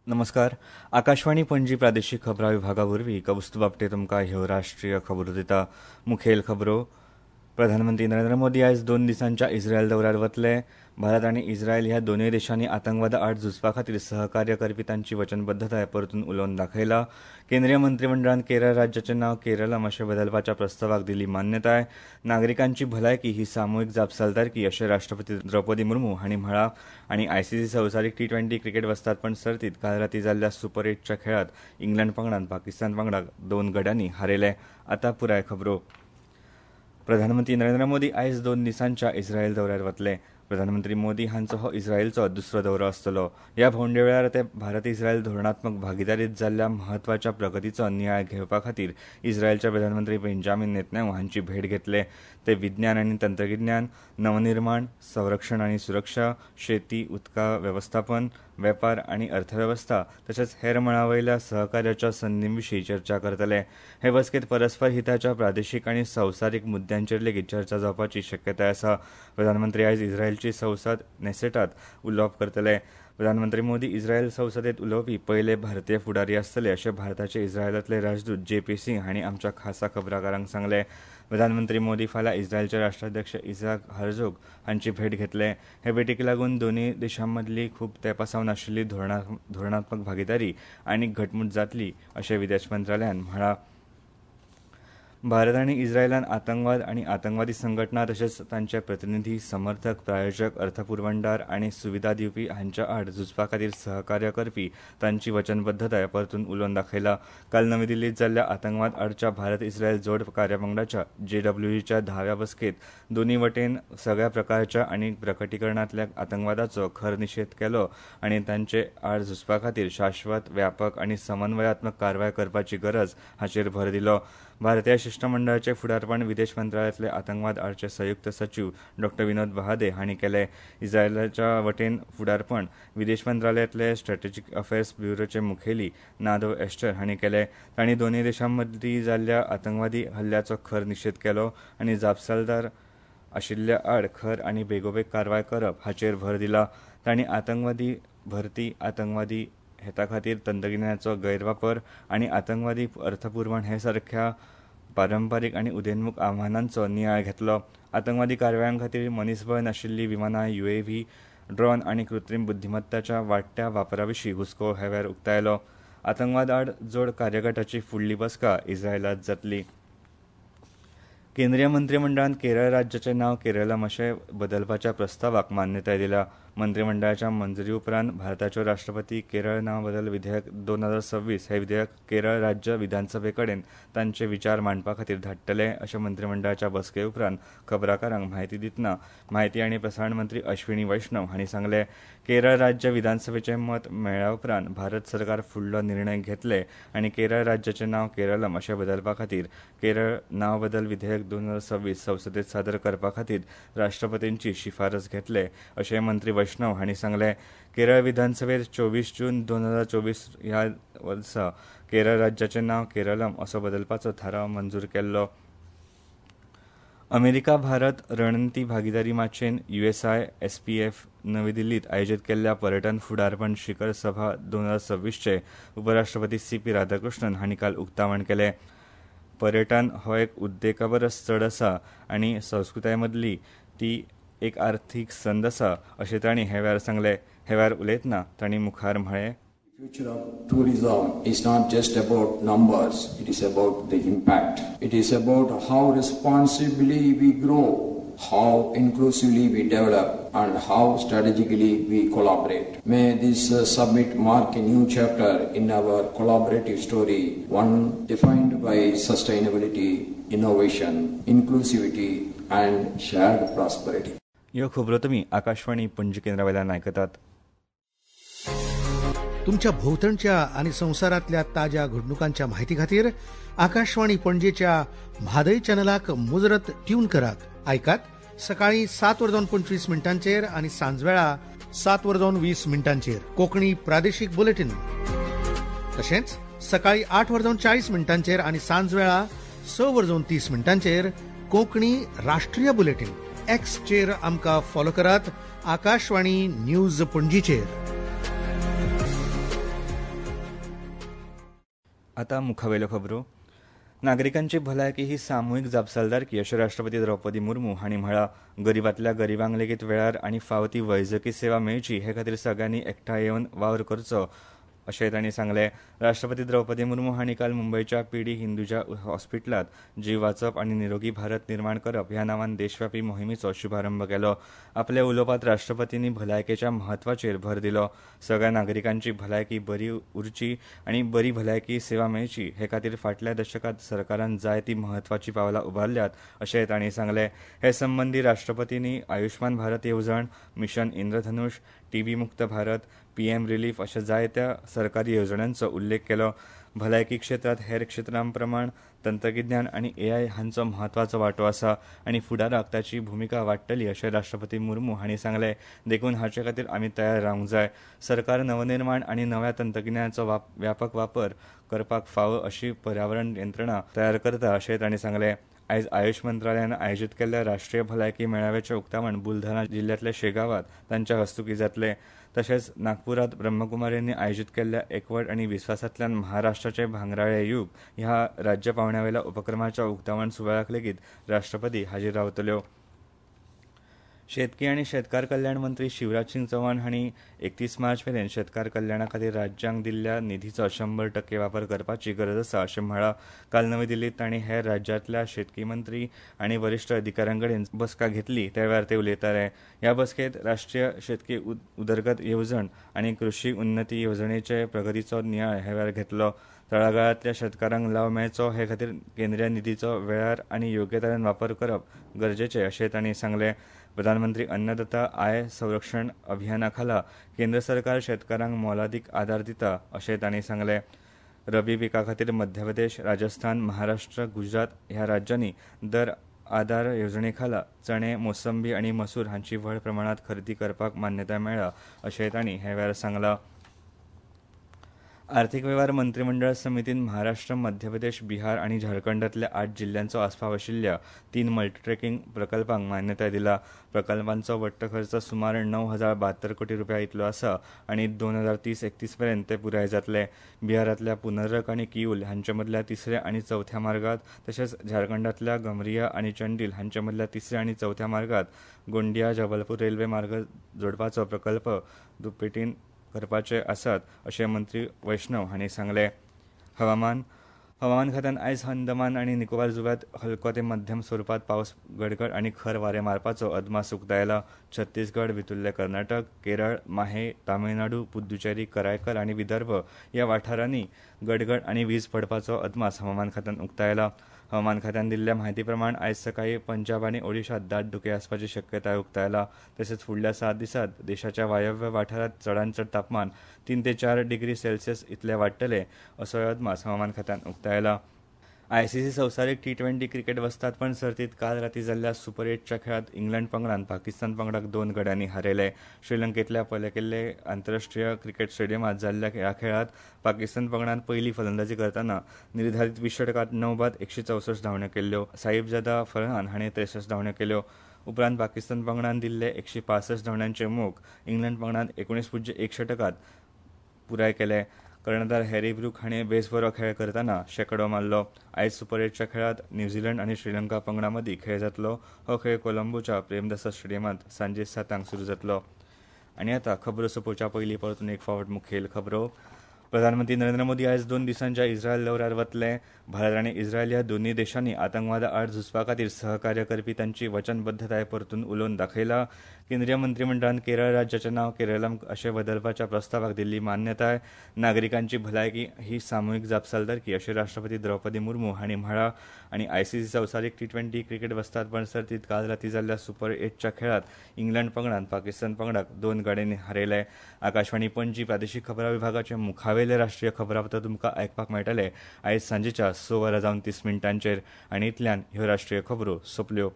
नमस्कार, आकाशवाणी पणजी प्रादेशीक खबरां विभागा वरवीं कौस्तुभ आपटे तुमकां ह्यो राष्ट्रीय खबरो दिता. मुखेल खबरो. प्रधानमंत्री नरेंद्र मोदी आयज 2 दिसांच्या इस्रायल दौऱ्यार वतले. भारत आनी इस्रायल ह्या दोनूय देशांनी आतंकवादा आड झुजपा खातीर सहकार्य करपी तांची वचनबद्धताय परतून उलोवन दाखयला. केंद्रीय मंत्रीमंडळान केरळ राज्याचें नांव केरलम अशें बदलपाच्या प्रस्तावाक दिली मान्यताय. नागरिकांची भलायकी ही सामुहीक जापसालदारकी अशें राष्ट्रपती द्रौपदी मुर्मू हांणी म्हळां. आनी आयसीसी संवसारीक टी20 क्रिकेट वस्तादपण सर्तीत काल राती जाल्ल्या सुपर 8च्या खेळांत इंग्लंड पंगडान पाकिस्तान पंगडाक 2 गड्यांनी हारयले. आतां पुराय खबरो. प्रधानमंत्री नरेंद्र मोदी आयज 2 दिसांच्या इस्रायल दौऱ्यार वतले. प्रधानमंत्री मोदी हांचो हो इस्रायलचो दुसरो दौरो आसतलो. ह्या भोंवडे वेळार ते भारत इस्रायल धोरणात्मक भागिदारीत जाल्ल्या म्हत्वाच्या प्रगतीचो नियाळ घेवपा खातीर इस्रायलचे प्रधानमंत्री बेंजामीन नेतन्याहू हांची भेट घेतले. ते विज्ञान आनी तंत्रगिन्यान, नवनिर्माण, संरक्षण आनी सुरक्षा, शेती, उदका वेवस्थापन, वेपार आनी अर्थवेवस्था तशेंच हेर मळां वयल्या सहकार्याच्या संदीं विशीं चर्चा करतले. हे बसकेंत परस्पर हिताच्या प्रादेशीक आनी संवसारीक मुद्द्यांचेर लेगीत चर्चा जावपाची शक्यताय आसा. प्रधानमंत्री आयज इस्रायलची संसद नेसेटात उलोवप करतले. प्रधानमंत्री मोदी इस्रायल संसदेत उलोवपी पयले भारतीय फुडारी आसतले अशें भारताचे इस्रायलांतले राजदूत जे.पी. सिंग हांणी आमच्या खासा खबराकारांक सांगलें. प्रधानमंत्री मोदी फाल्यां इस्रायलचे राष्ट्राध्यक्ष इझाक हर्झोग हांची भेट घेतले. हे भेटीक लागून दोनूय देशां मदली खूब तेंपा सावन आशिल्ली धोरणात्मक भागिदारी आनीक घटमूट जातली अशें विदेश मंत्रालयान म्हळां. भारत आनी इस्रायलान आतंकवाद आनी आतंकवादी संघटना तशेंच तांचे प्रतिनिधी, समर्थक, प्रायोजक, अर्थपुरवणदार आनी सुविधा दिवपी हांच्या आड झुजपा खातीर सहकार्य करपी तांची वचनबद्धताय परतून उलोवन दाखयला. काल नवी दिल्लीत जाल्ल्या आतंकवाद आडच्या भारत इस्रायल जोड कार्यपंगडाच्या जेडब्ल्यूईच्या 10व्या बसकेंत दोनूय वटेन सगळ्या प्रकारच्या आनी प्रकटीकरणांतल्या आतंकवादाचो खर निशेध केलो आनी तांचे आड झुजपा खातीर शाश्वत, व्यापक आनी समन्वयात्मक कारवाय करपाची गरज हाचेर भर दिलो. भारतीय शिश्टमंडळाचे फुडारपण विदेश मंत्रालयांतले आतंकवाद आडचे संयुक्त सचीव डॉ. विनोद बहादे हांणी केले. इस्रायलाच्या वटेन फुडारपण विदेश मंत्रालयांतले स्ट्रॅटेजीक अफेर्स ब्युरोचे मुखेली नादव एस्टर हांणी केले. तांणी दोनूय देशां मदीं जाल्ल्या आतंकवादी हल्ल्याचो खर निशेध केलो आनी जापसालदार आशिल्ल्या आड खर आनी बेगोबेग कारवाय करप हाचेर भर दिला. तांणी आतंकवादी भरती, आतंकवादी हेता खातीर तंत्रगिन्यानाचो गैरवापर आनी आतंकवादी अर्थपुरवण हे सारख्या पारंपारीक आनी उदयोन्मुख आव्हानांचो नियाळ घेतलो. आतंकवादी कारवायां खातीर मनीसबळ नाशिल्लीं विमानां, युएव्ही, ड्रोन आनी कृत्रीम बुद्धिमत्ताच्या वाडट्या वापरा विशीं हुस्को ह्या वेळार उक्तायलो. आतंकवाद आड जोड कार्यगटाची फुडली बसका इस्रायलांत जातली. केंद्रीय मंत्रीमंडळान केरळ राज्याचें नांव केरलम अशें बदलपाच्या प्रस्तावाक मान्यताय दिल्या. मंत्रीमंडळाच्या मंजुरी उपरांत भारताच्यो राष्ट्रपती केरळ नांव बदल विधेयक 2026 हे विधेयक केरळ राज्य विधानसभे कडेन तांचे विचार मांडपा खातीर धाडटले अशें मंत्रीमंडळाच्या बसके उपरांत खबराकारांक म्हायती दितना म्हायती आनी प्रसारण मंत्री अश्विनी वैष्णव हांणी सांगलें. केरळ राज्य विधानसभेचें मत मेळ्ळ्या उपरांत भारत सरकार फुडलो निर्णय घेतले आनी केरळ राज्याचें नांव केरलम अशें बदलपा खातीर केरळ नांव बदल विधेयक 2026 संसदेत सादर करपा खातीर राष्ट्रपतींची शिफारस घेतले अशें मंत्री वैष्णव हांणी सांगलें. केरळ विधानसभेत 24 जून 2024 ह्या वर्सा केरळ राज्याचें नांव केरलम असो बदलपाचो थाराव मंजूर केल्लो. अमेरिका भारत रणनिती भागिदारी माचयेन USI-SPF नवी दिल्लीत आयोजीत केल्ल्या पर्यटन फुडारपण शिखर सभा 2026चे उपराष्ट्रपती सी.पी. राधाकृष्णन हांणी काल उक्तावण केलें. पर्यटन हो एक उद्देगा परस चड आसा आनी संस्कृताय मदली ती एक आर्थीक संद आसा अशें तांणी हे वेळार सांगलें. हे वेळार उलयतना तांणी मुखार म्हळें, Future of tourism is not just about numbers, it is about the impact. It is about how responsibly we grow, how inclusively we develop, and how strategically we collaborate. May this summit mark a new chapter in our collaborative story, one defined by sustainability, innovation, inclusivity, and shared prosperity. ह्यो खबरो तुमी आकाशवाणी पणजी केंद्रा वयल्यान आयकतात. तुमच्या भोवतणच्या आणि संवसारातल्या ताज्या घडणुकांच्या माहिती खातीर आकाशवाणी पणजेच्या म्हादय चॅनलाक मुजरत ट्यून करात. आयकात सकाळी 7:25 आणि सांजवेळा 7:20 कोकणी प्रादेशीक बुलेटिन. तशेंच सकाळी 8:40 आणि सांजवेळा 6:30 कोकणी राष्ट्रीय बुलेटिन. एक्सचेर आमकां फॉलो करात आकाशवाणी न्यूज पणजीचेर. आतां मुखावेल्यो खबरो. नागरिकांची भलायकी ही सामुहीक जापसालदारकी अशें राष्ट्रपती द्रौपदी मुर्मू हांणी म्हळां. गरिबांतल्या गरिबांक लेगीत वेळार आनी फावो ती वैजकी सेवा मेळची हे खातीर सगळ्यांनी एकठांय येवन वावर करचो अशें तांणी सांगलें. राष्ट्रपती द्रौपदी मुर्मू हांणी काल मुंबयच्या पी डी हिंदुजा हॉस्पिटलांत जीव वाचप आनी निरोगी भारत निर्माण करप ह्या नांवान देशव्यापी मोहिमेचो शुभारंभ केलो. आपल्या उलोवपांत राष्ट्रपतींनी भलायकेच्या म्हत्वाचेर भर दिलो. सगळ्या नागरिकांची भलायकी बरी उरची आनी बरी भलायकी सेवा मेळची हे खातीर फाटल्या दशकांत सरकारान जायतीं म्हत्वाचीं पावलां उबारल्यात अशें तांणी सांगलें. हे संबंदी राष्ट्रपतींनी आयुष्मान भारत येवजण, मिशन इंद्रधनुष, टीबी मुक्त भारत, पीएम रिलीफ अशा जायत्या सरकारी येवजण्यांचो उल्लेख केलो. भलायकी क्षेत्रांत हेर क्षेत्रां प्रमाण तंत्रगिन्यान आनी एआय हांचो म्हत्वाचो वांटो आसा आनी फुडाराक ताची भुमिका वाडटली अशें राष्ट्रपती मुर्मू हांणी सांगलें. देखून हाचे खातीर आमी तयार रावंक जाय. सरकार नवनिर्माण आनी नव्या तंत्रगिन्यानाचो व्यापक वापर करपाक फावो अशी पर्यावरण यंत्रणा तयार करता अशें तांणी सांगलें. आयज आयुष मंत्रालयान आयोजीत केल्ल्या राष्ट्रीय भलायकी मेळाव्याचें उक्तावण बुलढाणा जिल्ह्यांतल्या शेगांवांत तांच्या हस्तुकीं जातलें. तशेंच नागपुरांत ब्रह्मकुमारींनी आयोजीत केल्ल्या एकवट आनी विस्वासांतल्यान महाराष्ट्राचें भांगराळें युग ह्या राज्य पांवड्यावेल्या उपक्रमाच्या उक्तावण सुवाळ्याक लेगीत राष्ट्रपती हाजीर रावतल्यो. शेतकी आनी शेतकार कल्याण मंत्री शिवराज सिंग चौहान हांणी 31 मार्च मेरेन शेतकार कल्याणा खातीर राज्यांक दिल्ल्या निधीचो 100% वापर करपाची गरज आसा अशें म्हळां. काल नवी दिल्लींत तांणी हेर राज्यांतल्या शेतकी मंत्री आनी वरिश्ठ अधिकाऱ्यां कडेन बसका घेतली त्या वेळार ते उलयताले. ह्या बसकेंत राष्ट्रीय शेतकी उदरगत येवजण आनी कृशी उन्नती येवजणेचे प्रगतीचो नियाळ ह्या वेळार घेतलो. तळागाळांतल्या शेतकारांक लाव मेळचो हे खातीर केंद्रीय निधीचो वेळार आनी योग्य तरेन वापर करप गरजेचें अशें तांणी सांगलें. प्रधानमंत्री अन्नदाता I संरक्षण अभियाना खाला केंद्र सरकार शेतकारांक मोलादीक आदार दिता अशें तांणी सांगलें. रबी पिका खातीर मध्य प्रदेश, राजस्थान, महाराष्ट्र, गुजरात ह्या राज्यांनी दर आदार येवजणे खाला चणे, मोसंबी आनी मसूर हांची व्हड प्रमाणांत खरेदी करपाक मान्यताय मेळ्ळा अशें तांणी हे वेळार सांगलां. आर्थिक वेव्हार मंत्रिमंडळ समितीन महाराष्ट्र, मध्य प्रदेश, बिहार आनी झारखंडांतल्या 8 जिल्ल्यांचो आस्पाव आशिल्ल्या 3 मल्टीट्रेकिंग प्रकल्पांक मान्यताय दिला. प्रकल्पांचो वट्ट खर्च सुमार 9,072 कोटी रुपया इतलो आसा आनी 2030-31 मेरेन ते पुराय जातले. बिहारांतल्या पुनर्रक आनी किऊल हांचे मदल्या तिसऱ्या आनी चवथ्या मार्गात तशेंच झारखंडांतल्या गमरिया आनी चंडील हांचे मदल्या तिसऱ्या आनी चवथ्या मार्गात गोंडिया जबलपूर रेल्वे मार्ग जोडपाचो प्रकल्प दुपेटीन करपाचे आसात अशें मंत्री वैष्णव हांणी सांगलें. हवामान खात्यान आयज अंदमान आनी निकोबार जुंव्यांत हलको ते मध्यम स्वरुपांत पावस, गडगड आनी खर वारें मारपाचो अदमास उक्तायला. छत्तीसगड, भितुल्ले कर्नाटक, केरळ, माहे, तामिळनाडू, पुद्दुचेरी, करायकल आनी विदर्भ ह्या वाठारांनी गडगड आनी वीज पडपाचो अदमास हवामान खात्यान उक्तायला. हवामान खात्यान दिल्ल्या म्हायती प्रमाण आयज सकाळीं पंजाब आनी ओडिशांत दाट धुकें आसपाची शक्यताय उक्तायला. तशेंच फुडल्या 7 दिसांत देशाच्या वायव्य वाठारांत चडांत चड तापमान 3 ते 4 डिग्री सेल्सियस इतलें वाडटलें असोय अदमास हवामान खात्यान उक्तायला. आयसीसी संवसारीक T20 cricket वस्तादपण सर्तींत काल राती जाल्ल्या सुपर 8च्या खेळांत इंग्लंड पंगडान पाकिस्तान पंगडाक 2 गड्यांनी हारयले. श्रीलंकेंतल्या पलेकेल्ले आंतरराष्ट्रीय क्रिकेट स्टेडियमांत जाल्ल्या ह्या खेळांत पाकिस्तान पंगडान पयली फलंदाजी करतना निर्धारीत 20 षटकांत 9 बाद 164 धांवड्यो केल्यो. साहिबजादा फरहान हाणें 63 धांवड्यो केल्यो. उपरांत पाकिस्तान पंगडान दिल्ले 165 धांवड्यांचे मोख इंग्लंड पंगडान 19.1 षटकांत पुराय केले. कर्णधार हॅरी ब्रूक हाणें बेस बरो खेळ करतना शेंकडो मारलो. आयज सुपर 8च्या खेळांत न्यूझीलंड आनी श्रीलंका पंगडा मदीं खेळ जातलो. हो खेळ कोलंबोच्या प्रेमदासा स्टेडियमांत सांजे 7 सुरू जातलो. आनी आतां खबरो सोंपोवच्या पयलीं परतून एक फावट मुखेल खबरो. प्रधानमंत्री नरेंद्र मोदी आयज 2 दिसांच्या इस्रायल दौऱ्यार वतले. भारत आनी इस्रायल ह्या दोनूय देशांनी आतंकवादा आड झुजपा खातीर सहकार्य करपी तांची वचनबद्धताय परतून उलोवन दाखयला. केंद्रीय मंत्रिमंडळान केरळ राज्याचें नांव केरळम अशें बदलपाच्या प्रस्तावाक दिल्ली मान्यताय. नागरिकांची भलायकी ही सामुहीक जापसालदारकी अशें राष्ट्रपती द्रौपदी मुर्मू हांणी म्हळां. आनी आयसीसी संवसारीक T20 cricket वस्तादपण सर्तींत काल राती जाल्ल्या सुपर 8च्या खेळांत इंग्लंड पंगडान पाकिस्तान पंगडाक 2 गड्यांनी हारयले. आकाशवाणी पणजी प्रादेशीक खबरां विभागाचे मुखावेले राष्ट्रीय खबरापत्र तुमकां आयकपाक मेळटलें आयज सांजेच्या 6:30 आनी इतल्यान ह्यो राष्ट्रीय खबरो सोंपल्यो.